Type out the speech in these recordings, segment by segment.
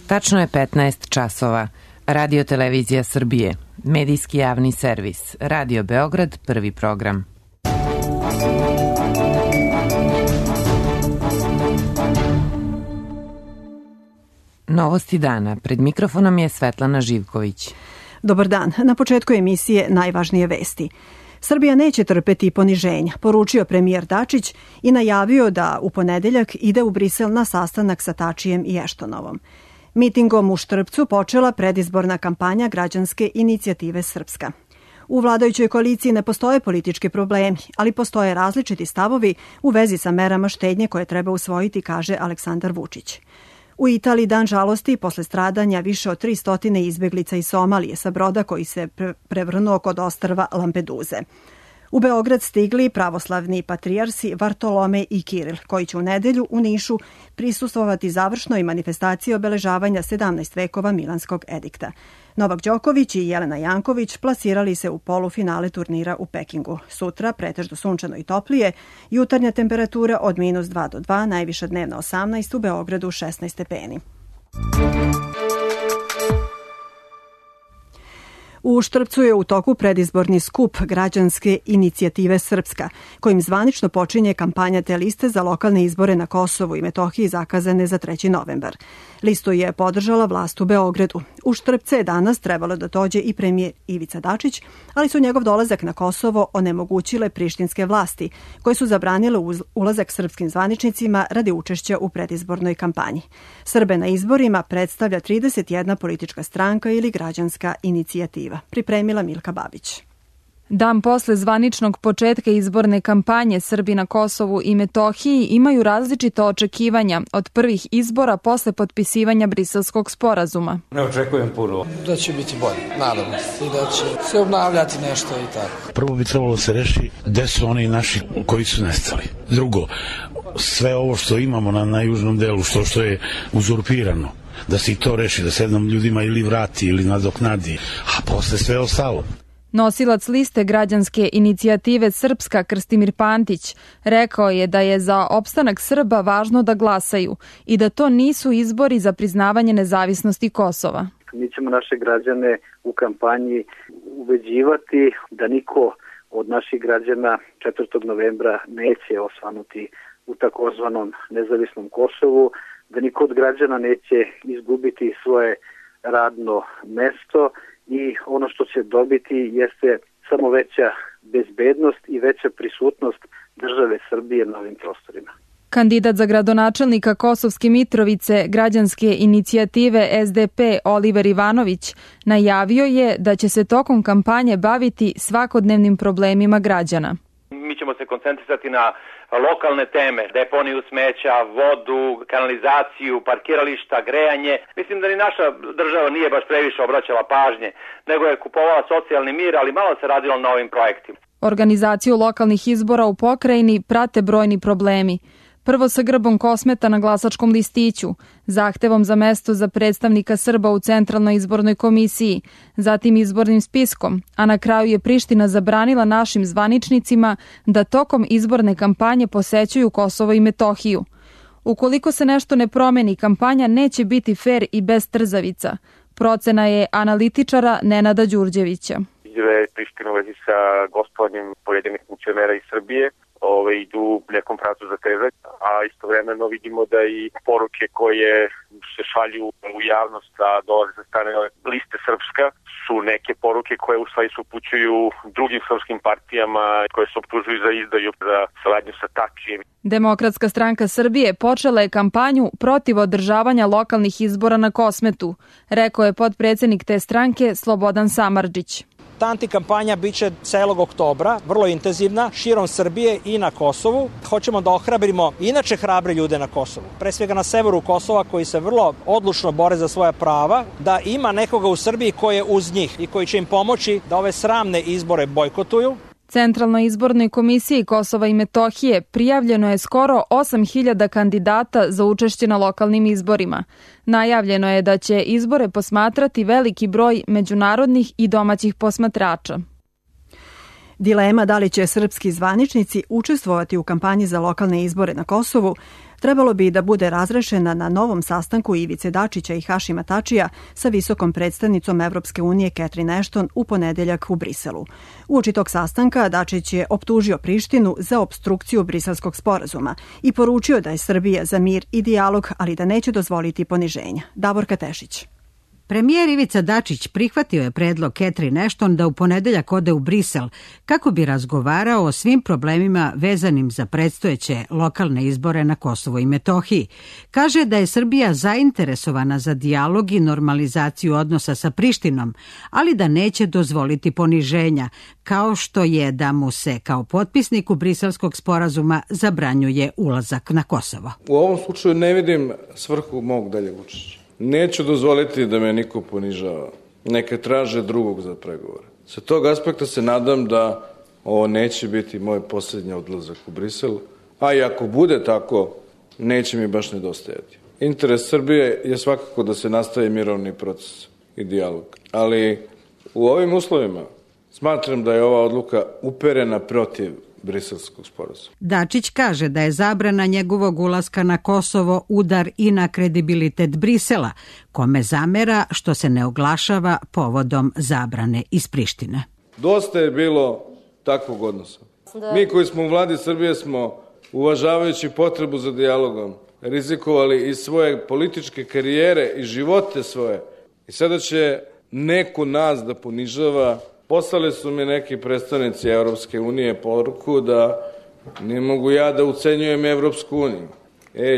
Tačno je 15 časova. Radio Televizija Srbije, medijski javni servis, Radio Beograd, prvi program. Novosti dana. Pred mikrofonom je Svetlana Živković. Dobar dan. Na početku emisije najvažnije vesti. Srbija neće trpeti poniženja, poručio premijer Dačić i najavio da u ponedeljak ide u Brisel na sastanak sa Tačijem i Eštonovom. Mitingom u Štrpcu počela predizborna kampanja Građanske inicijative Srpska. U vladajućoj koaliciji ne postoje politički problemi, ali postoje različiti stavovi u vezi sa merama štednje koje treba usvojiti, kaže Aleksandar Vučić. U Italiji dan žalosti posle stradanja više od 300 izbeglica iz Somalije sa broda koji se prevrnuo kod ostrva Lampeduze. U Beograd stigli pravoslavni patrijarsi Vartolomej i Kiril, koji će u nedelju u Nišu prisustvovati završnoj manifestaciji obeležavanja 17 vekova Milanskog edikta. Novak Đoković i Jelena Janković plasirali se u polufinale turnira u Pekingu. Sutra pretežno sunčano i toplije, jutarnja temperatura od -2 do 2, najviša dnevna 18, u Beogradu 16 stepeni. U Štrpcu je u toku predizborni skup Građanske inicijative Srpska, kojim zvanično počinje kampanja te liste za lokalne izbore na Kosovu i Metohiji zakazane za 3. novembar. Listu je podržala vlast u Beogradu. U Štrpce je danas trebalo da dođe i premijer Ivica Dačić, ali su njegov dolazak na Kosovo onemogućile prištinske vlasti, koje su zabranile ulazak srpskim zvaničnicima radi učešća u predizbornoj kampanji. Srbe na izborima predstavlja 31 politička stranka ili građanska inicijativa. Pripremila Milka Babić. Dan posle zvaničnog početka izborne kampanje, Srbi na Kosovu i Metohiji imaju različita očekivanja od prvih izbora posle potpisivanja Briselskog sporazuma. Ne očekujem puno. Da će biti bolje, nadam se, i da će se obnavljati nešto i tako. Prvo bi trebalo se reši gde su oni naši koji su nestali. Drugo, sve ovo što imamo na južnom delu, što je uzurpirano, da se i to reši, da se jednom ljudima ili vrati ili nadoknadi, a posle sve ostalo. Nosilac liste Građanske inicijative Srpska Krstimir Pantić rekao je da je za opstanak Srba važno da glasaju i da to nisu izbori za priznavanje nezavisnosti Kosova. Mi ćemo naše građane u kampanji ubeđivati da niko od naših građana 4. novembra neće osvanuti u takozvanom nezavisnom Kosovu, da niko od građana neće izgubiti svoje radno mesto i ono što će dobiti jeste samo veća bezbednost i veća prisutnost države Srbije na ovim prostorima. Kandidat za gradonačelnika Kosovske Mitrovice Građanske inicijative SDP Oliver Ivanović najavio je da će se tokom kampanje baviti svakodnevnim problemima građana. Mi ćemo se koncentrisati na lokalne teme, deponiju smeća, vodu, kanalizaciju, parkirališta, grejanje. Mislim da ni naša država nije baš previše obraćala pažnje, nego je kupovala socijalni mir, ali malo se radilo na ovim projektima. Organizaciju lokalnih izbora u pokrajini prate brojni problemi. Prvo sa grbom Kosmeta na glasačkom listiću, zahtevom za mesto za predstavnika Srba u Centralnoj izbornoj komisiji, zatim izbornim spiskom, a na kraju je Priština zabranila našim zvaničnicima da tokom izborne kampanje posećuju Kosovo i Metohiju. Ukoliko se nešto ne promeni, kampanja neće biti fer i bez trzavica. Procena je analitičara Nenada Đurđevića. Priština u vezi sa gostovanjem pojedinih funkcionera iz Srbije idu u nekom pravcu zatezanja, a istovremeno vidimo da i poruke koje se šalju u javnost, a dolaze sa strane liste Srpska, su neke poruke koje u stvari se upućuju drugim srpskim partijama koje se optužuju za izdaju, za saradnju sa Tačijem. Demokratska stranka Srbije počela je kampanju protiv održavanja lokalnih izbora na Kosmetu, rekao je potpredsednik te stranke Slobodan Samardžić. Ta antikampanja biće celog oktobra, vrlo intenzivna, širom Srbije i na Kosovu. Hoćemo da ohrabrimo inače hrabre ljude na Kosovu, pre svega na severu Kosova koji se vrlo odlučno bore za svoja prava, da ima nekoga u Srbiji koji je uz njih i koji će im pomoći da ove sramne izbore bojkotuju. Centralnoj izbornoj komisiji Kosova i Metohije prijavljeno je skoro 8.000 kandidata za učešće na lokalnim izborima. Najavljeno je da će izbore posmatrati veliki broj međunarodnih i domaćih posmatrača. Dilema da li će srpski zvaničnici učestvovati u kampanji za lokalne izbore na Kosovu trebalo bi da bude razrešena na novom sastanku Ivice Dačića i Hašima Tačija sa visokom predstavnicom Evropske unije Catherine Ashton u ponedeljak u Briselu. Uoči tog sastanka Dačić je optužio Prištinu za opstrukciju Briselskog sporazuma i poručio da je Srbija za mir i dijalog, ali da neće dozvoliti poniženja. Davorka Tešić. Premijer Ivica Dačić prihvatio je predlog Catherine Ashton da u ponedeljak ode u Brisel kako bi razgovarao o svim problemima vezanim za predstojeće lokalne izbore na Kosovu i Metohiji. Kaže da je Srbija zainteresovana za dijalog i normalizaciju odnosa sa Prištinom, ali da neće dozvoliti poniženja, kao što je da mu se kao potpisniku Briselskog sporazuma zabranjuje ulazak na Kosovo. U ovom slučaju ne vidim svrhu mog daljeg učešća. Neću dozvoliti da me niko ponižava. Neka traže drugog za pregovore. Sa tog aspekta se nadam da ovo neće biti moj posljednji odlazak u Brisel, a i ako bude tako, neće mi baš nedostajati. Interes Srbije je svakako da se nastavi mirovni proces i dijalog. Ali u ovim uslovima smatram da je ova odluka uperena protiv Briselskog sporazuma. Dačić kaže da je zabrana njegovog ulaska na Kosovo udar i na kredibilitet Brisela, kome zamera što se ne oglašava povodom zabrane iz Prištine. Dosta je bilo takvog odnosa. Mi koji smo u vladi Srbije smo, uvažavajući potrebu za dijalogom, rizikovali i svoje političke karijere i živote svoje. I sada će neko nas da ponižava. Poslali su mi neki predstavnici Evropske unije poruku da ne mogu ja da ucenjujem Evropsku uniju.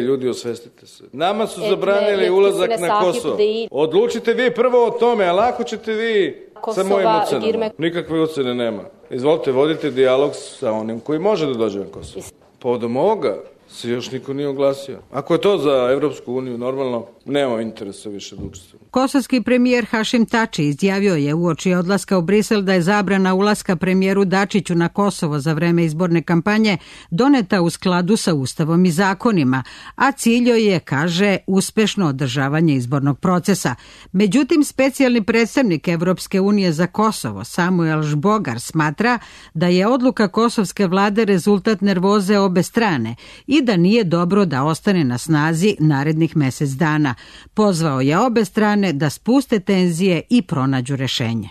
Ljudi, osvestite se. Nama su zabranili ulazak na Kosovo. Odlučite vi prvo o tome, a lako ćete vi sa mojim ocenama. Nikakve ocene nema. Izvolite, vodite dijalog sa onim koji može da dođe na Kosovo. Povodom ovoga se još niko nije oglasio. Ako je to za Evropsku uniju normalno, nema interesa više da učestvujemo. Kosovski premijer Hašim Tači izjavio je uoči odlaska u Brisel da je zabrana ulaska premijeru Dačiću na Kosovo za vreme izborne kampanje doneta u skladu sa Ustavom i zakonima, a cilj joj je, kaže, uspešno održavanje izbornog procesa. Međutim, specijalni predstavnik Evropske unije za Kosovo, Samuel Žbogar, smatra da je odluka kosovske vlade rezultat nervoze obe strane i da nije dobro da ostane na snazi narednih mesec dana. Pozvao je obe strane da spuste tenzije i pronađu rešenje.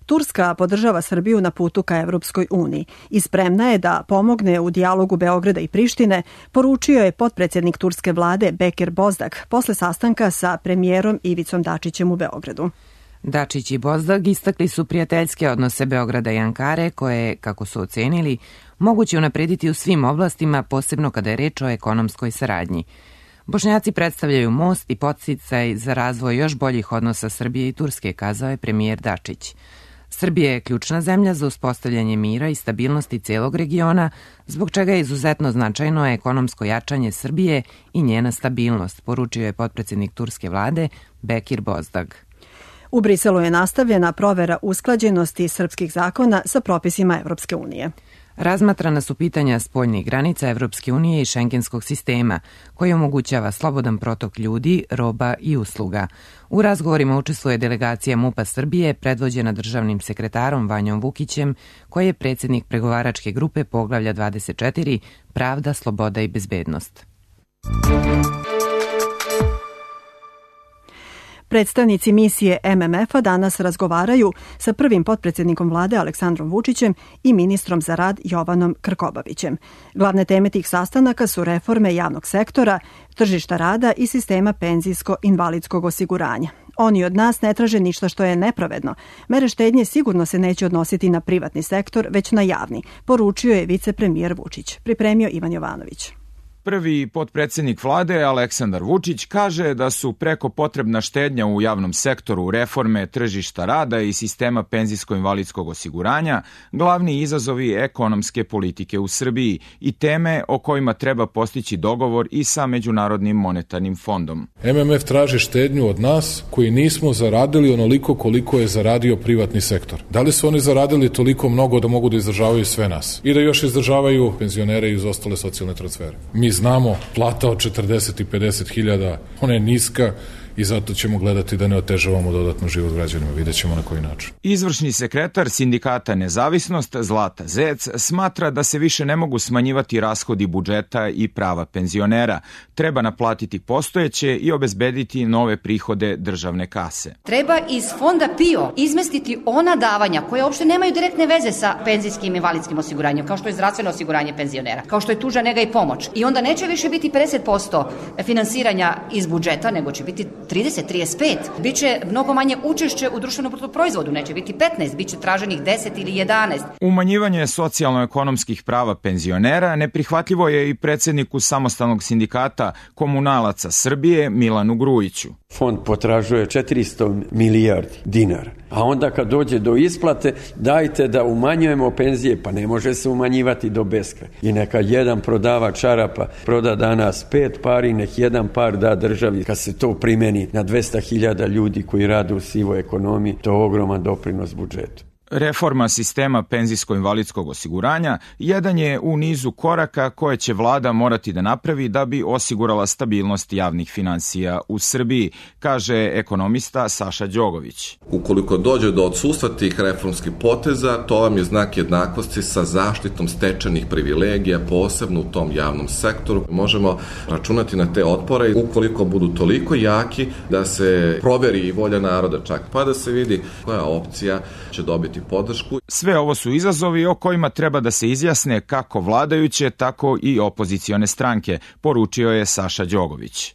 Turska podržava Srbiju na putu ka Evropskoj uniji i spremna je da pomogne u dijalogu Beograda i Prištine, poručio je potpredsjednik turske vlade Bekir Bozdag posle sastanka sa premijerom Ivicom Dačićem u Beogradu. Dačić i Bozdag istakli su prijateljske odnose Beograda i Ankare koje, kako su ocenili, moguće unaprediti u svim oblastima, posebno kada je reč o ekonomskoj saradnji. Bošnjaci predstavljaju most i podsticaj za razvoj još boljih odnosa Srbije i Turske, kazao je premijer Dačić. Srbija je ključna zemlja za uspostavljanje mira i stabilnosti celog regiona, zbog čega je izuzetno značajno ekonomsko jačanje Srbije i njena stabilnost, poručio je potpredsjednik turske vlade Bekir Bozdag. U Briselu je nastavljena provera usklađenosti srpskih zakona sa propisima Evropske unije. Razmatrana su pitanja spoljnih granica Evropske unije i šengenskog sistema, koji omogućava slobodan protok ljudi, roba i usluga. U razgovorima učestvuje delegacija MUP-a Srbije, predvođena državnim sekretarom Vanjom Vukićem, koji je predsjednik pregovaračke grupe Poglavlja 24, Pravda, sloboda i bezbednost. Predstavnici misije MMF-a danas razgovaraju sa prvim potpredsjednikom vlade Aleksandrom Vučićem i ministrom za rad Jovanom Krkobabićem. Glavne teme tih sastanaka su reforme javnog sektora, tržišta rada i sistema penzijsko-invalidskog osiguranja. Oni od nas ne traže ništa što je nepravedno. Mere štednje sigurno se neće odnositi na privatni sektor, već na javni, poručio je vicepremijer Vučić. Pripremio Ivan Jovanović. Prvi potpredsjednik vlade, Aleksandar Vučić, kaže da su preko potrebna štednja u javnom sektoru, reforme tržišta rada i sistema penzijsko-invalidskog osiguranja glavni izazovi ekonomske politike u Srbiji i teme o kojima treba postići dogovor i sa Međunarodnim monetarnim fondom. MMF traži štednju od nas koji nismo zaradili onoliko koliko je zaradio privatni sektor. Da li su oni zaradili toliko mnogo da mogu da izdržavaju sve nas i da još izdržavaju penzionere i uz ostale socijalne transfere? Mi znamo, plata od 40 i 50 hiljada, ona je niska i zato ćemo gledati da ne otežavamo dodatno život građanima. Vidjet ćemo na koji način. Izvršni sekretar sindikata Nezavisnost Zlata Zec smatra da se više ne mogu smanjivati rashodi budžeta i prava penzionera. Treba naplatiti postojeće i obezbediti nove prihode državne kase. Treba iz fonda PIO izmestiti ona davanja koje uopšte nemaju direktne veze sa penzijskim i invalidskim osiguranjem, kao što je zdravstveno osiguranje penzionera, kao što je tuža, nega i pomoć. I onda neće više biti 50% finansiranja iz budžeta, nego će biti 30-35. Biće mnogo manje učešće u društvenom bruto proizvodu, neće biti 15, biće traženih 10 ili 11. Umanjivanje socijalno-ekonomskih prava penzionera neprihvatljivo je i predsjedniku samostalnog sindikata Komunalaca Srbije Milanu Grujiću. Fond potražuje 400 milijardi dinara, a onda kad dođe do isplate dajte da umanjujemo penzije, pa ne može se umanjivati do beskraja. I neka jedan prodavač čarapa proda danas 5 pari, nek jedan par da državi. Kad se to primeni na 200.000 ljudi koji rade u sivoj ekonomiji, to je ogroman doprinos budžetu. Reforma sistema penzijsko-invalidskog osiguranja jedan je u nizu koraka koje će vlada morati da napravi da bi osigurala stabilnost javnih finansija u Srbiji, kaže ekonomista Saša Đogović. Ukoliko dođe do odsustva tih reformskih poteza, to vam je znak jednakosti sa zaštitom stečenih privilegija, posebno u tom javnom sektoru. Možemo računati na te otpore ukoliko budu toliko jaki da se proveri i volja naroda čak, pa da se vidi koja opcija će dobiti podršku. Sve ovo su izazovi o kojima treba da se izjasne kako vladajuće, tako i opozicione stranke, poručio je Saša Đogović.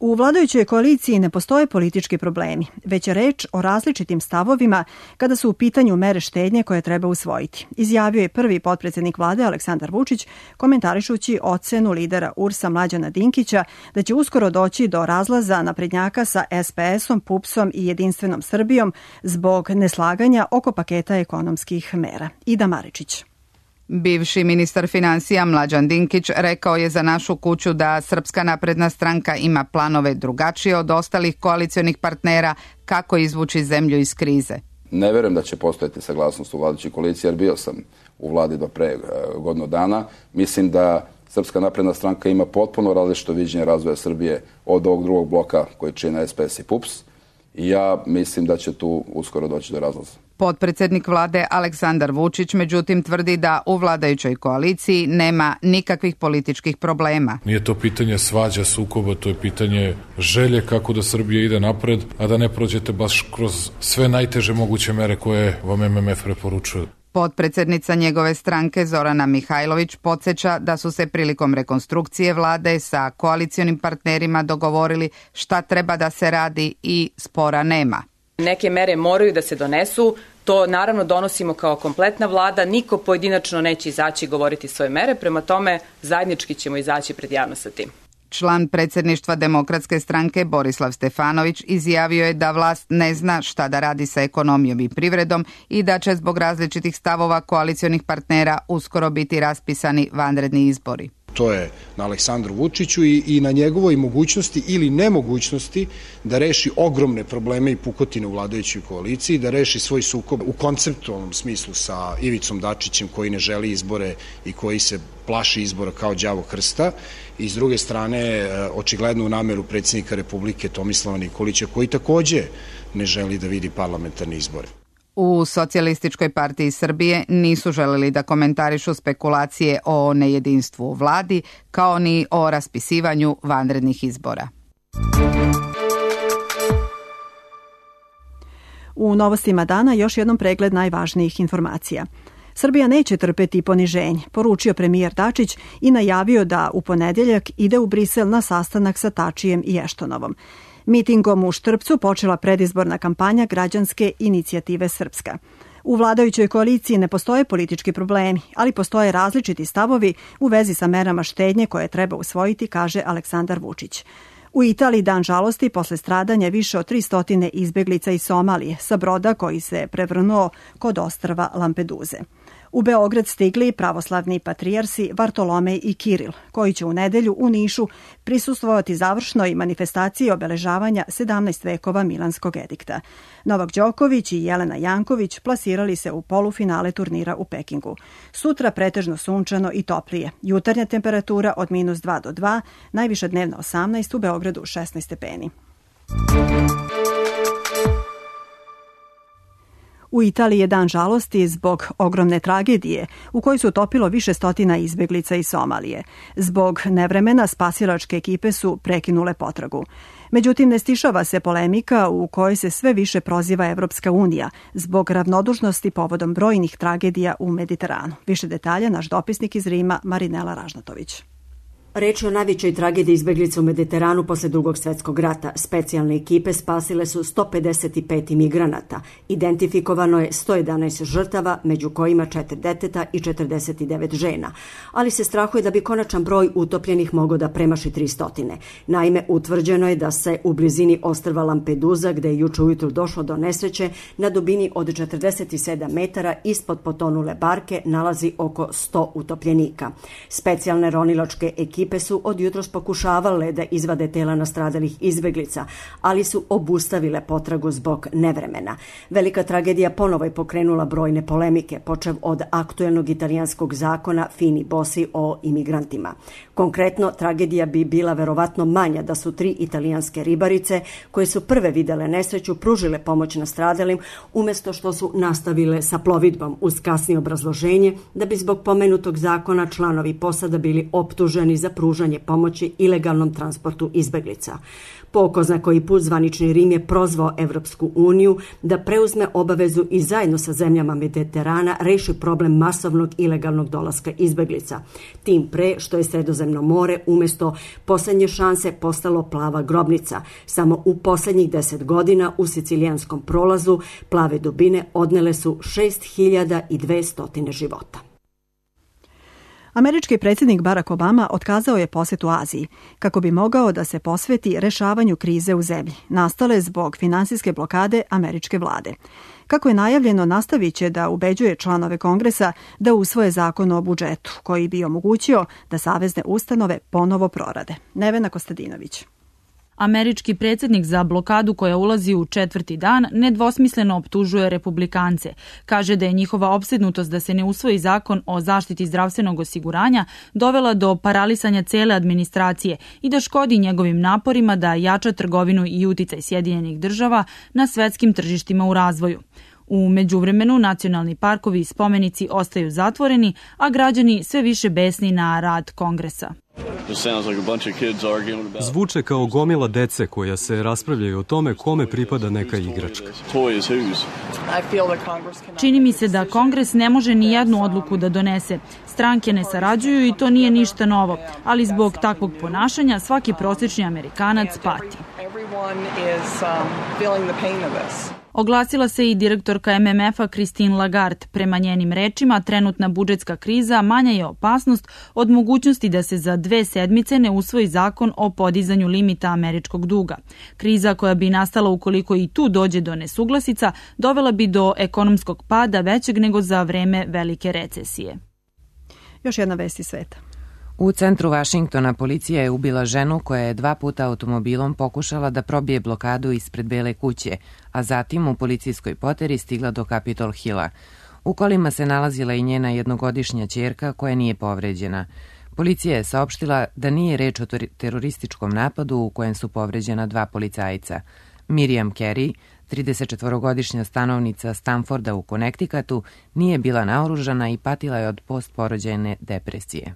U vladajućoj koaliciji ne postoje politički problemi, već je reč o različitim stavovima kada su u pitanju mere štednje koje treba usvojiti. Izjavio je prvi potpredsjednik vlade Aleksandar Vučić, komentarišući ocenu lidera URS-a Mlađana Dinkića da će uskoro doći do razlaza naprednjaka sa SPS-om, PUPS-om i Jedinstvenom Srbijom zbog neslaganja oko paketa ekonomskih mera. Ida Maričić. Bivši ministar finansija Mlađan Dinkić rekao je za Našu kuću da Srpska napredna stranka ima planove drugačije od ostalih koalicionih partnera kako izvući zemlju iz krize. Ne verujem da će postojati saglasnost u vladajućoj koaliciji, jer bio sam u vladi do pre godinu dana. Mislim da Srpska napredna stranka ima potpuno različito viđenje razvoja Srbije od ovog drugog bloka koji čine SPS i PUPS. I ja mislim da će tu uskoro doći do razlaza. Potpredsjednik vlade Aleksandar Vučić međutim tvrdi da u vladajućoj koaliciji nema nikakvih političkih problema. Nije to pitanje svađa, sukoba, to je pitanje želje kako da Srbija ide napred, a da ne prođete baš kroz sve najteže moguće mere koje vam MMF preporučuje. Potpredsjednica njegove stranke Zorana Mihajlović podsjeća da su se prilikom rekonstrukcije vlade sa koalicionim partnerima dogovorili šta treba da se radi i spora nema. Neke mere moraju da se donesu, to naravno donosimo kao kompletna vlada, niko pojedinačno neće izaći govoriti svoje mere, prema tome zajednički ćemo izaći pred javnost sa tim. Član predsjedništva Demokratske stranke Borislav Stefanović izjavio je da vlast ne zna šta da radi sa ekonomijom i privredom i da će zbog različitih stavova koalicionih partnera uskoro biti raspisani vanredni izbori. To je na Aleksandru Vučiću i na njegovoj mogućnosti ili nemogućnosti da reši ogromne probleme i pukotine u vladajućoj koaliciji, da reši svoj sukob u konceptualnom smislu sa Ivicom Dačićem koji ne želi izbore i koji se plaši izbora kao đavo krsta, i s druge strane očiglednu nameru predsjednika Republike Tomislava Nikolića koji takođe ne želi da vidi parlamentarne izbore. U Socijalističkoj partiji Srbije nisu želeli da komentarišu spekulacije o nejedinstvu u vladi, kao ni o raspisivanju vanrednih izbora. U novostima dana još jednom pregled najvažnijih informacija. Srbija neće trpeti poniženje, poručio premijer Dačić i najavio da u ponedeljak ide u Brisel na sastanak sa Tačijem i Eštonovom. Mitingom u Štrpcu počela predizborna kampanja Građanske inicijative Srpska. U vladajućoj koaliciji ne postoje politički problemi, ali postoje različiti stavovi u vezi sa merama štednje koje treba usvojiti, kaže Aleksandar Vučić. U Italiji dan žalosti posle stradanja više od 300 izbeglica iz Somalije sa broda koji se prevrnuo kod ostrva Lampeduze. U Beograd stigli pravoslavni patrijarsi Vartolomej i Kiril, koji će u nedelju u Nišu prisustvovati završnoj manifestaciji obeležavanja 17 vekova Milanskog edikta. Novak Đoković i Jelena Janković plasirali se u polufinale turnira u Pekingu. Sutra pretežno sunčano i toplije. Jutarnja temperatura od -2 do 2, najviša dnevna 18, u Beogradu 16 stepeni. U Italiji je dan žalosti zbog ogromne tragedije u kojoj se utopilo više stotina izbeglica iz Somalije. Zbog nevremena spasilačke ekipe su prekinule potragu. Međutim, ne stišava se polemika u kojoj se sve više proziva Evropska unija zbog ravnodušnosti povodom brojnih tragedija u Mediteranu. Više detalja naš dopisnik iz Rima Marinela Ražnatović. Reč je o najvećoj tragediji izbeglica u Mediteranu posle Drugog svjetskog rata. Specijalne ekipe spasile su 155 imigranata. Identifikovano je 111 žrtava, među kojima 4 deteta i 49 žena. Ali se strahuje da bi konačan broj utopljenih mogao da premaši 300. Naime, utvrđeno je da se u blizini ostrva Lampedusa, gde je juče ujutru došlo do nesreće, na dubini od 47 metara ispod potonule barke nalazi oko 100 utopljenika. Specijalne ronilačke ekipe su od jutros pokušavale da izvade tela nastradalih izbeglica, ali su obustavile potragu zbog nevremena. Velika tragedija ponovo je pokrenula brojne polemike, počev od aktuelnog italijanskog zakona Fini Bossi o imigrantima. Konkretno, tragedija bi bila verovatno manja da su 3 italijanske ribarice, koje su prve videle nesreću, pružile pomoć nastradalim, umesto što su nastavile sa plovidbom, uz kasnije obrazloženje da bi zbog pomenutog zakona članovi posada bili optuženi za pružanje pomoći ilegalnom transportu izbeglica. Po ko zna koji put zvanični Rim je prozvao Evropsku uniju da preuzme obavezu i zajedno sa zemljama Mediterana reši problem masovnog ilegalnog dolaska izbeglica. Tim pre što je Sredozemno more umesto poslednje šanse postalo plava grobnica. Samo u poslednjih 10 godina u sicilijanskom prolazu plave dubine odnele su 6200 života. Američki predsjednik Barack Obama otkazao je posjet u Aziji kako bi mogao da se posveti rešavanju krize u zemlji, nastale zbog finansijske blokade američke vlade. Kako je najavljeno, nastavit će da ubeđuje članove Kongresa da usvoje zakon o budžetu, koji bi omogućio da savezne ustanove ponovo prorade. Nevena Kostadinović. Američki predsjednik za blokadu koja ulazi u 4. dan nedvosmisleno optužuje republikance. Kaže da je njihova opsednutost da se ne usvoji zakon o zaštiti zdravstvenog osiguranja dovela do paralisanja cele administracije i da škodi njegovim naporima da jača trgovinu i uticaj Sjedinjenih država na svetskim tržištima u razvoju. U međuvremenu nacionalni parkovi i spomenici ostaju zatvoreni, a građani sve više besni na rad Kongresa. Zvuče kao gomila dece koja se raspravljaju o tome kome pripada neka igračka. Čini mi se da Kongres ne može ni jednu odluku da donese. Stranke ne sarađuju i to nije ništa novo, ali zbog takvog ponašanja svaki prosječni Amerikanac pati. Oglasila se i direktorka MMF-a Christine Lagarde. Prema njenim rečima, trenutna budžetska kriza manja je opasnost od mogućnosti da se za 2 sedmice ne usvoji zakon o podizanju limita američkog duga. Kriza koja bi nastala ukoliko i tu dođe do nesuglasica, dovela bi do ekonomskog pada većeg nego za vreme velike recesije. Još jedna vest iz sveta. U centru Vašingtona policija je ubila ženu koja je 2 puta automobilom pokušala da probije blokadu ispred Bele kuće, a zatim u policijskoj poteri stigla do Capitol Hilla. U kolima se nalazila i njena jednogodišnja ćerka koja nije povređena. Policija je saopštila da nije reč o terorističkom napadu u kojem su povređena 2 policajca. Miriam Carey, 34-godišnja stanovnica Stanforda u Connecticutu, nije bila naoružana i patila je od postporođajne depresije.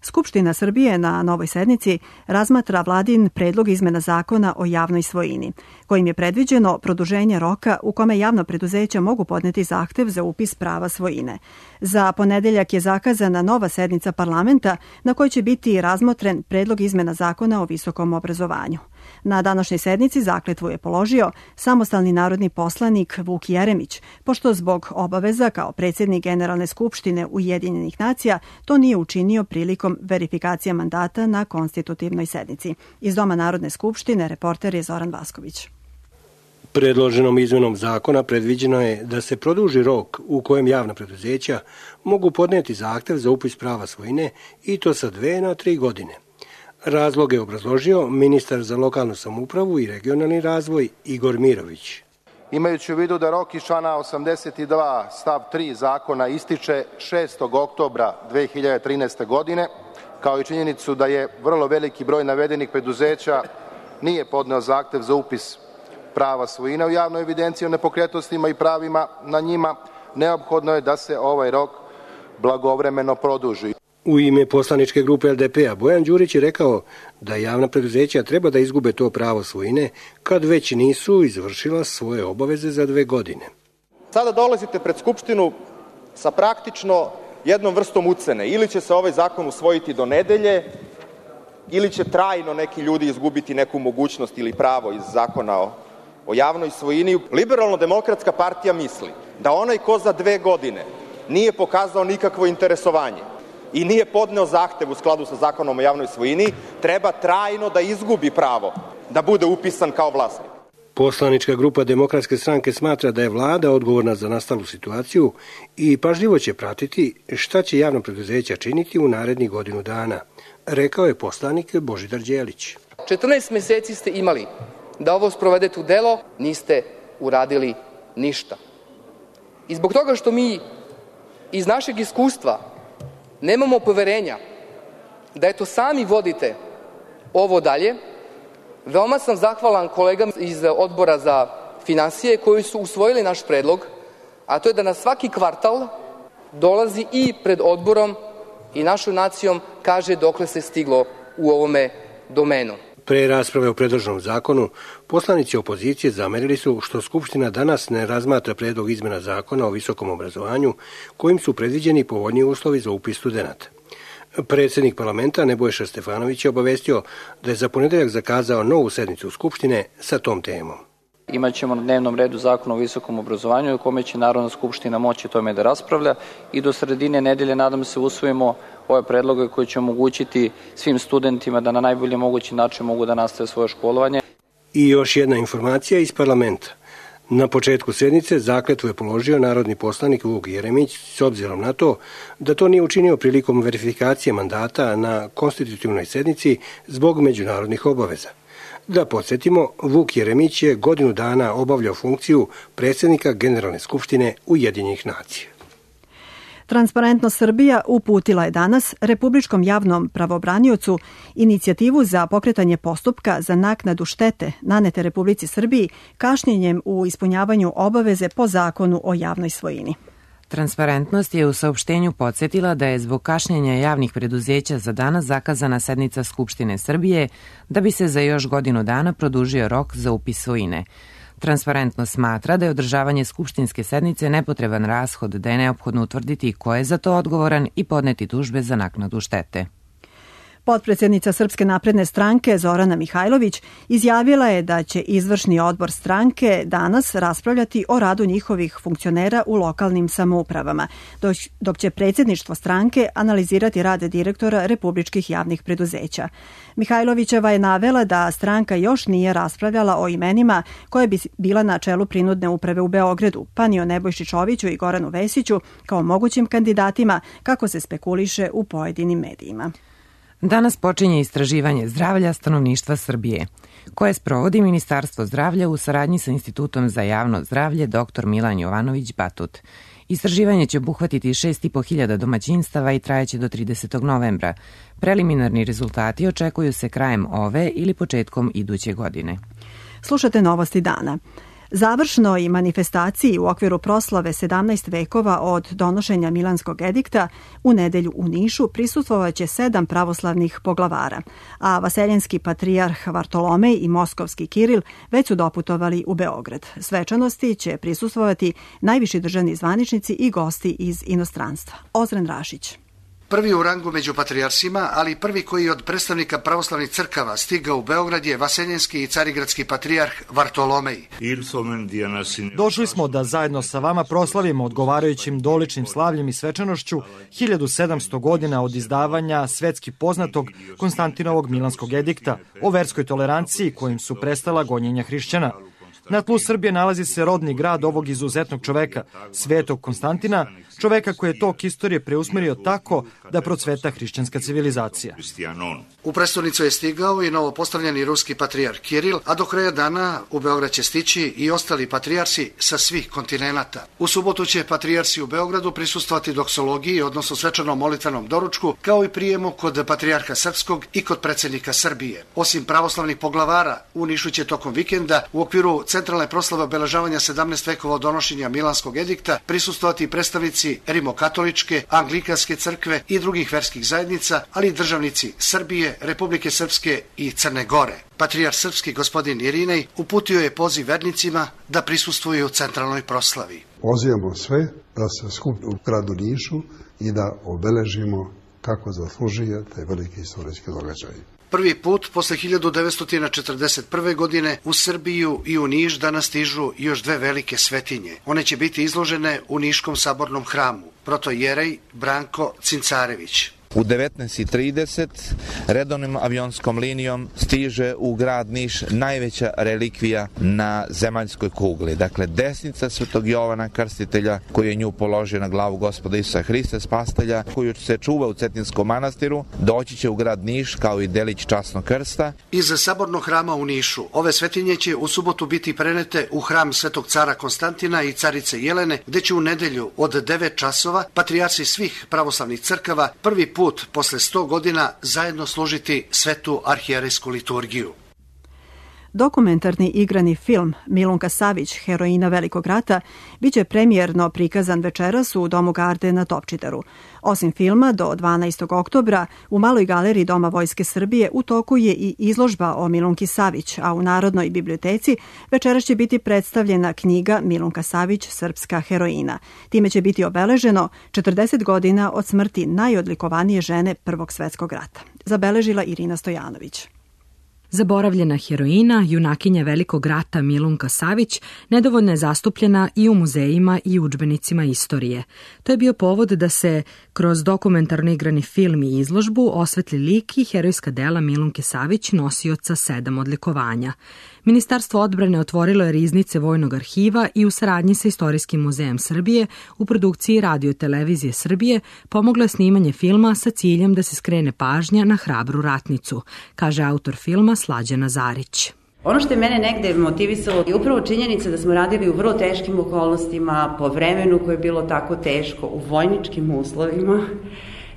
Skupština Srbije na novoj sednici razmatra vladin predlog izmena zakona o javnoj svojini, kojim je predviđeno produženje roka u kome javna preduzeća mogu podneti zahtev za upis prava svojine. Za ponedeljak je zakazana nova sednica parlamenta na kojoj će biti razmotren predlog izmena zakona o visokom obrazovanju. Na današnjoj sednici zakletvu je položio samostalni narodni poslanik Vuk Jeremić, pošto zbog obaveza kao predsjednik Generalne skupštine Ujedinjenih nacija to nije učinio prilikom verifikacije mandata na konstitutivnoj sednici. Iz Doma Narodne skupštine reporter je Zoran Vasković. Predloženom izmenom zakona predviđeno je da se produži rok u kojem javna preduzeća mogu podneti zahtev za upis prava svojine i to sa 2 na 3 godine. Razlog je obrazložio ministar za lokalnu samoupravu i regionalni razvoj Igor Mirović. Imajući u vidu da rok iz člana 82 stav 3 zakona ističe 6. oktobra 2013. godine, kao i činjenicu da je vrlo veliki broj navedenih preduzeća nije podneo zahtev za upis prava svojine u javnoj evidenciji o nepokretnostima i pravima na njima, neophodno je da se ovaj rok blagovremeno produži. U ime poslaničke grupe LDP-a Bojan Đurić je rekao da javna preduzeća treba da izgube to pravo svojine kad već nisu izvršila svoje obaveze za 2 godine. Sada dolazite pred Skupštinu sa praktično jednom vrstom ucene. Ili će se ovaj zakon usvojiti do nedelje, ili će trajno neki ljudi izgubiti neku mogućnost ili pravo iz zakona o javnoj svojini. Liberalno-demokratska partija misli da onaj ko za 2 godine nije pokazao nikakvo interesovanje i nije podneo zahtev u skladu sa zakonom o javnoj svojini, treba trajno da izgubi pravo da bude upisan kao vlasnik. Poslanička grupa Demokratske stranke smatra da je vlada odgovorna za nastalu situaciju i pažljivo će pratiti šta će javno preduzeća činiti u narednih godinu dana, rekao je poslanik Božidar Đelić. 14 meseci ste imali da ovo sprovedete u delo, niste uradili ništa. I zbog toga što mi iz našeg iskustva nemamo poverenja da eto sami vodite ovo dalje, veoma sam zahvalan kolegama iz Odbora za finansije koji su usvojili naš predlog, a to je da na svaki kvartal dolazi i pred odborom i našom nacijom kaže dokle se stiglo u ovome domenu. Pre rasprave o predloženom zakonu, poslanici opozicije zamerili su što Skupština danas ne razmatra predlog izmena zakona o visokom obrazovanju kojim su predviđeni povoljniji uslovi za upis studenata. Predsednik parlamenta Nebojša Stefanović je obavestio da je za ponedeljak zakazao novu sednicu Skupštine sa tom temom. Imaćemo na dnevnom redu zakon o visokom obrazovanju u kome će Narodna skupština moći tome da raspravlja i do sredine nedelje nadam se usvojimo ove predloge koji će omogućiti svim studentima da na najbolji mogući način mogu da nastave svoje školovanje. I još jedna informacija iz parlamenta. Na početku sednice zakletvu je položio narodni poslanik Vuk Jeremić s obzirom na to da to nije učinio prilikom verifikacije mandata na konstitutivnoj sednici zbog međunarodnih obaveza. Da podsjetimo, Vuk Jeremić je godinu dana obavljao funkciju predsjednika Generalne skupštine Ujedinjenih nacija. Transparentnost Srbija uputila je danas Republičkom javnom pravobraniocu inicijativu za pokretanje postupka za naknadu štete nanete Republici Srbiji kašnjenjem u ispunjavanju obaveze po zakonu o javnoj svojini. Transparentnost je u saopštenju podsjetila da je zbog kašnjenja javnih preduzeća za danas zakazana sednica Skupštine Srbije da bi se za još godinu dana produžio rok za upis svojine. Transparentnost smatra da je održavanje skupštinske sednice nepotreban rashod, da je neophodno utvrditi ko je za to odgovoran i podneti tužbe za naknadu štete. Potpredsjednica Srpske napredne stranke Zorana Mihajlović izjavila je da će izvršni odbor stranke danas raspravljati o radu njihovih funkcionera u lokalnim samoupravama, dok će predsjedništvo stranke analizirati rad direktora republičkih javnih preduzeća. Mihajlovićeva je navela da stranka još nije raspravljala o imenima koje bi bila na čelu prinudne uprave u Beogradu, pa ni o Nebojši Čoviću i Goranu Vesiću kao mogućim kandidatima, kako se spekuliše u pojedinim medijima. Danas počinje istraživanje zdravlja stanovništva Srbije, koje sprovodi Ministarstvo zdravlja u saradnji sa Institutom za javno zdravlje dr. Milan Jovanović Batut. Istraživanje će obuhvatiti 6.500 domaćinstava i trajaće do 30. novembra. Preliminarni rezultati očekuju se krajem ove ili početkom iduće godine. Slušate Novosti dana. Završnoj manifestaciji u okviru proslave 17 vekova od donošenja Milanskog edikta u nedelju u Nišu prisustvovaće 7 pravoslavnih poglavara, a vaseljenski patrijarh Vartolomej i moskovski Kiril već su doputovali u Beograd. Svečanosti će prisustvovati najviši državni zvaničnici i gosti iz inostranstva. Ozren Rašić. Prvi u rangu među patrijarsima, ali prvi koji od predstavnika pravoslavnih crkava stigao u Beograd je vaseljenski i carigradski patrijarh Vartolomej. Došli smo da zajedno sa vama proslavimo odgovarajućim doličnim slavljem i svečanošću 1700 godina od izdavanja svetski poznatog Konstantinovog Milanskog edikta o verskoj toleranciji kojim su prestala gonjenja hrišćana. Na tlu Srbije nalazi se rodni grad ovog izuzetnog čoveka, Svetog Konstantina, čoveka koji je tok istorije preusmerio tako da procveta hrišćanska civilizacija. U prestonicu je stigao i novopostavljeni ruski patrijarh Kiril, a do kraja dana u Beograd će stići i ostali patrijarsi sa svih kontinenata. U subotu će patrijarsi u Beogradu prisustvovati doksologiji, odnosno svečanom molitvenom doručku, kao i prijemu kod patrijarha Srpskog i kod predsjednika Srbije. Osim pravoslavnih poglavara, u Nišu će tokom vikenda u okviru centralne proslave obeležavanja 17 vekova od donošenja Milanskog edikta prisustvovati predstavnici Rimokatoličke, Anglikanske crkve i drugih verskih zajednica, ali i državnici Srbije, Republike Srpske i Crne Gore. Patrijarh srpski gospodin Irinej uputio je poziv vernicima da prisustvuju u centralnoj proslavi. Pozivamo sve da se skupimo u gradu Nišu i da obeležimo kako zaslužuje taj veliki istorijski događaj. Prvi put posle 1941. godine u Srbiju i u Niš danas stižu još dve velike svetinje. One će biti izložene u Niškom sabornom hramu. Protojerej Branko Cincarević. U 19:30 redovnom avionskom linijom stiže u grad Niš najveća relikvija na zemaljskoj kugli. Dakle, desnica Svetog Jovana Krstitelja, koji je nju položio na glavu Gospoda Isusa Hrista Spastelja, koju se čuva u Cetinskom manastiru, doći će u grad Niš kao i delić časnog krsta. Iz sabornog hrama u Nišu ove svetinje će u subotu biti prenete u hram Svetog cara Konstantina i carice Jelene, gde će u nedelju od 9 časova patrijarsi svih pravoslavnih crkava prvi put posle 100 godina zajedno služiti svetu arhijerejsku liturgiju. Dokumentarni igrani film Milunka Savić, heroina Velikog rata, biće premijerno prikazan večeras u Domu Garde na Topčideru. Osim filma, do 12. oktobra u Maloj galeriji Doma Vojske Srbije u toku je i izložba o Milunki Savić, a u Narodnoj biblioteci večeras će biti predstavljena knjiga Milunka Savić, srpska heroina. Time će biti obeleženo 40 godina od smrti najodlikovanije žene Prvog svetskog rata. Zabeležila Irina Stojanović. Zaboravljena heroina, junakinja Velikog rata Milunka Savić, nedovoljno je zastupljena i u muzejima i udžbenicima istorije. To je bio povod da se kroz dokumentarno igrani film i izložbu osvetli lik i herojska dela Milunke Savić, nosioca 7 odlikovanja. Ministarstvo odbrane otvorilo je riznice Vojnog arhiva i u saradnji sa Istorijskim muzejem Srbije u produkciji Radio televizije Srbije pomoglo je snimanje filma sa ciljem da se skrene pažnja na hrabru ratnicu, kaže autor filma Slađana Zarić. Ono što je mene negde motivisalo je upravo činjenica da smo radili u vrlo teškim okolnostima, po vremenu koje je bilo tako teško, u vojničkim uslovima.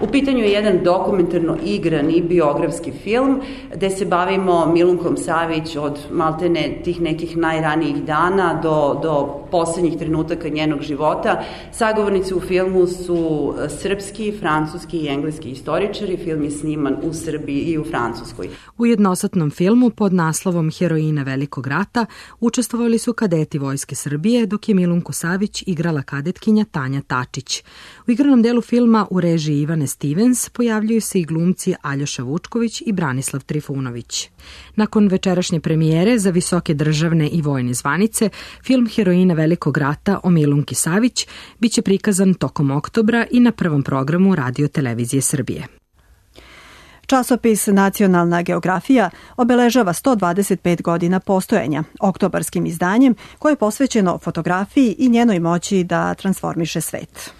U pitanju je jedan dokumentarno igrani biografski film gde se bavimo Milunkom Savić od maltene tih nekih najranijih dana do poslednjih trenutaka njenog života. Sagovornici u filmu su srpski, francuski i engleski istoričari. Film je sniman u Srbiji i u Francuskoj. U jednosatnom filmu pod naslovom Heroina Velikog rata učestvovali su kadeti Vojske Srbije, dok je Milunku Savić igrala kadetkinja Tanja Tačić. U igranom delu filma u režiji Ivane Stevens pojavljuju se i glumci Aljoša Vučković i Branislav Trifunović. Nakon večerašnje premijere za visoke državne i vojne zvanice, film Heroina Velikog rata o Milunki Savić biće prikazan tokom oktobra i na prvom programu Radio televizije Srbije. Časopis Nacionalna geografija obeležava 125 godina postojanja oktobarskim izdanjem koje je posvećeno fotografiji i njenoj moći da transformiše svet.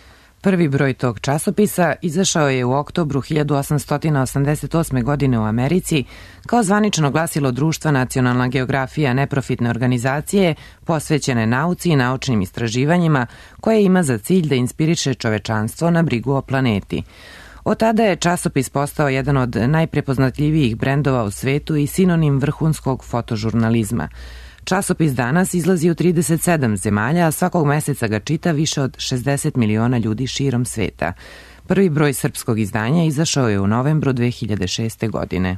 Prvi broj tog časopisa izašao je u oktobru 1888. godine u Americi kao zvanično glasilo društva Nacionalna geografija, neprofitne organizacije posvećene nauci i naučnim istraživanjima koje ima za cilj da inspiriše čovečanstvo na brigu o planeti. Od tada je časopis postao jedan od najprepoznatljivijih brendova u svetu i sinonim vrhunskog fotožurnalizma. Časopis danas izlazi u 37 zemalja, a svakog meseca ga čita više od 60 miliona ljudi širom sveta. Prvi broj srpskog izdanja izašao je u novembru 2006. godine.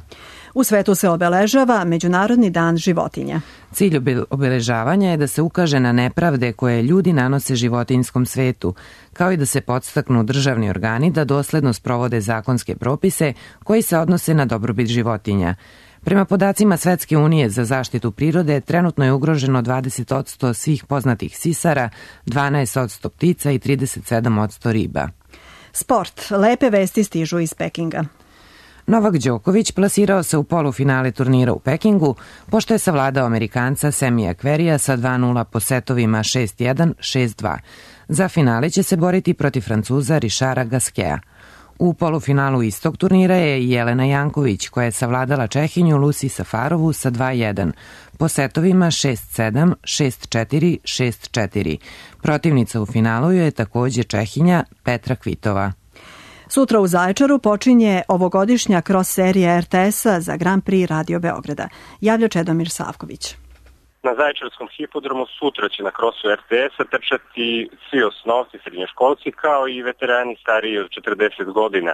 U svetu se obeležava Međunarodni dan životinja. Cilj obeležavanja je da se ukaže na nepravde koje ljudi nanose životinjskom svetu, kao i da se podstaknu državni organi da dosledno sprovode zakonske propise koji se odnose na dobrobit životinja. Prema podacima Svetske unije za zaštitu prirode, trenutno je ugroženo 20% svih poznatih sisara, 12% ptica i 37% riba. Sport. Lepe vesti stižu iz Pekinga. Novak Đoković plasirao se u polufinale turnira u Pekingu, pošto je savladao Amerikanca Semija Kverija sa 2-0 po setovima 6-1, 6-2. Za finale će se boriti protiv Francuza Richarda Gasqueta. U polufinalu istog turnira je Jelena Janković, koja je savladala Čehinju Lucy Safarovu sa 2-1, po setovima 6-7, 6-4, 6-4. Protivnica u finalu je takođe Čehinja Petra Kvitova. Sutra u Zaječaru počinje ovogodišnja cross serija RTS-a za Grand Prix Radio Beograda. Javlja Čedomir Savković. Na Zaječarskom hipodromu sutra će na krosu RTS-a trčati svi osnovci, srednjoškolci, kao i veterani stariji od 40 godina.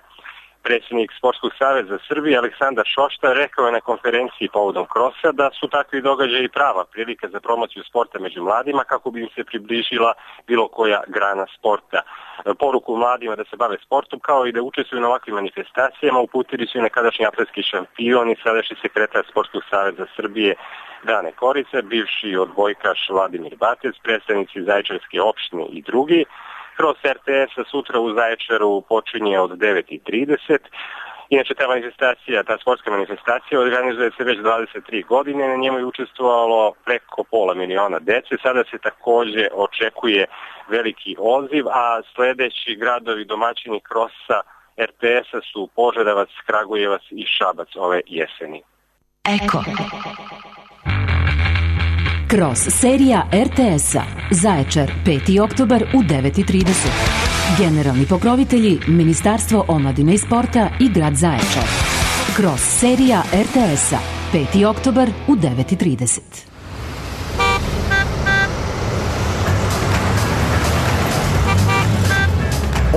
Predsjednik Sportskog saveza Srbije Aleksandar Šošta rekao je na konferenciji povodom krosa da su takvi događaji prava prilika za promociju sporta među mladima kako bi im se približila bilo koja grana sporta. Poruku mladima da se bave sportom kao i da učestvuju na ovakvim manifestacijama uputili su i nekadašnji atletski šampion i sadašnji sekretar Sportskog saveza Srbije Dane Korice, bivši odbojkaš Vladimir Batec, predstavnici Zaječarske opštine i drugi. Kroz RTS-a sutra u Zaječaru počinje od 9:30. Inače, ta sportska manifestacija organizuje se već 23 godine, na njemu je učestvovalo preko 500.000 dece. Sada se takođe očekuje veliki odziv, a sledeći gradovi domaćini krosa RTS-a su Požarevac, Kragujevac i Šabac ove jeseni. Eko. Kroz serija RTS-a Zaječar 5. oktobar u 9:30. Generalni pokrovitelji Ministarstvo omladine i sporta i grad Zaječar. Kroz serija RTS-a 5. oktobar u 9:30.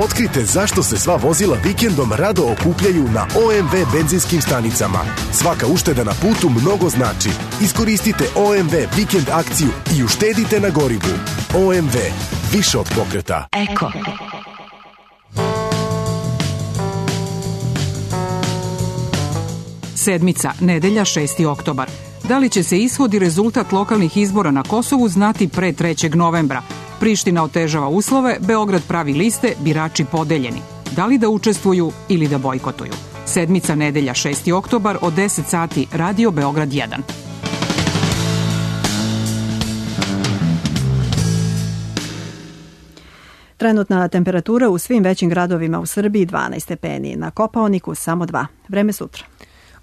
Otkrite zašto se sva vozila vikendom rado okupljaju na OMV benzinskim stanicama. Svaka ušteda na putu mnogo znači. Iskoristite OMV vikend akciju i uštedite na gorivu. OMV. Više od pokreta. Eko. Sedmica, nedelja 6. oktobar. Da li će se ishod i rezultat lokalnih izbora na Kosovu znati pre 3. novembra? Priština otežava uslove, Beograd pravi liste, birači podeljeni. Da li da učestvuju ili da bojkotuju? Sedmica, nedelja 6. oktobar od 10 sati, Radio Beograd 1. Trenutna temperatura u svim većim gradovima u Srbiji 12 stepeni, na Kopaoniku samo 2. Vreme sutra.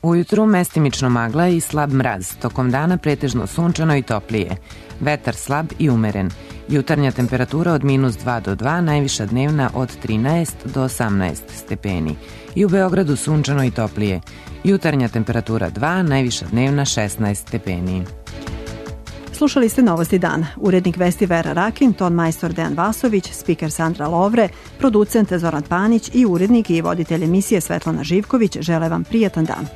Ujutru mestimično magla i slab mraz, tokom dana pretežno sunčano i toplije. Vetar slab i umeren. Jutarnja temperatura od -2 do 2, najviša dnevna od 13 do 18 stepeni. I u Beogradu sunčano i toplije. Jutarnja temperatura 2, najviša dnevna 16 stepeni. Slušali ste Novosti dana. Urednik vesti Vera Rakin, ton majstor Dejan Vasović, spiker Sandra Lovre, producent Zoran Panić i urednik i voditelj emisije Svetlana Živković žele vam prijatan dan.